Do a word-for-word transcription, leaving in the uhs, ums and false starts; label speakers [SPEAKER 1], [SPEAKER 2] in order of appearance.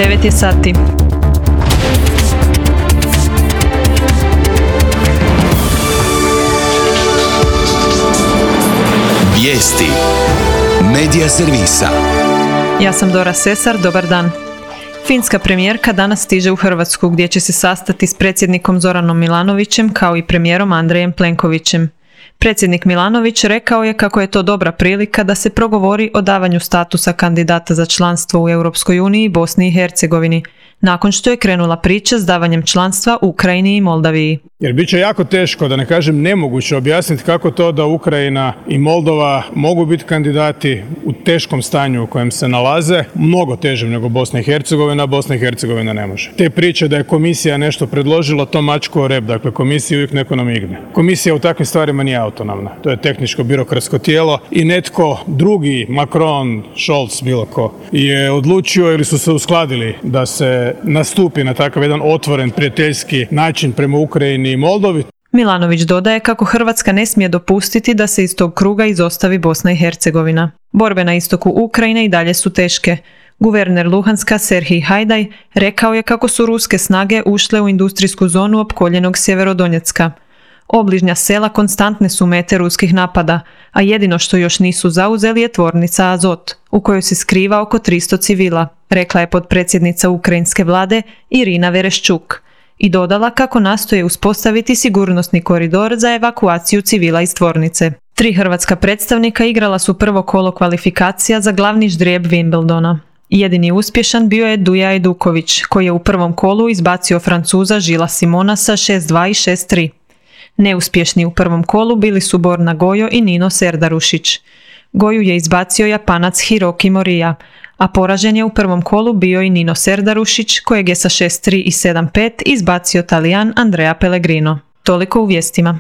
[SPEAKER 1] devet je sati.
[SPEAKER 2] Vijesti Medija servisa.
[SPEAKER 1] Ja sam Dora Sesar, dobar dan. Finska premijerka danas stiže u Hrvatsku gdje će se sastati s predsjednikom Zoranom Milanovićem kao i premijerom Andrejem Plenkovićem. Predsjednik Milanović rekao je kako je to dobra prilika da se progovori o davanju statusa kandidata za članstvo u Europskoj uniji Bosni i Hercegovini, nakon što je krenula priča s davanjem članstva Ukrajini i Moldaviji.
[SPEAKER 3] Jer bit će jako teško, da ne kažem nemoguće, objasniti kako to da Ukrajina i Moldova mogu biti kandidati u teškom stanju u kojem se nalaze, mnogo težem nego Bosna i Hercegovina, a Bosna i Hercegovina ne može. Te priče da je komisija nešto predložila, to mačku o rep, dakle komisija uvijek neko namigne. Komisija u takvim stvarima nije autonomna, to je tehničko-birokratsko tijelo i netko drugi, Macron, Scholz, bilo ko, je odlučio ili su se uskladili da se nastupi na takav jedan otvoren, prijateljski način prema Ukrajini i Moldovi.
[SPEAKER 1] Milanović dodaje kako Hrvatska ne smije dopustiti da se iz tog kruga izostavi Bosna i Hercegovina. Borbe na istoku Ukrajine i dalje su teške. Guverner Luhanska Serhij Hajdaj rekao je kako su ruske snage ušle u industrijsku zonu opkoljenog Sjeverodonjecka. Obližnja sela konstantne su mete ruskih napada, a jedino što još nisu zauzeli je tvornica Azot, u kojoj se skriva oko tristo civila, rekla je potpredsjednica ukrajinske vlade Irina Vereščuk. I dodala kako nastoje uspostaviti sigurnosni koridor za evakuaciju civila iz tvornice. Tri hrvatska predstavnika igrala su prvo kolo kvalifikacija za glavni ždrijeb Wimbledona. Jedini uspješan bio je Duja Eduković, koji je u prvom kolu izbacio Francuza Žila Simona sa šest dva i šest tri. Neuspješni u prvom kolu bili su Borna Gojo i Nino Serdarušić. Goju je izbacio Japanac Hiroki Morija, a poražen je u prvom kolu bio i Nino Serdarušić, kojeg je sa šest tri i sedam pet izbacio Talijan Andrea Pellegrino. Toliko u vijestima.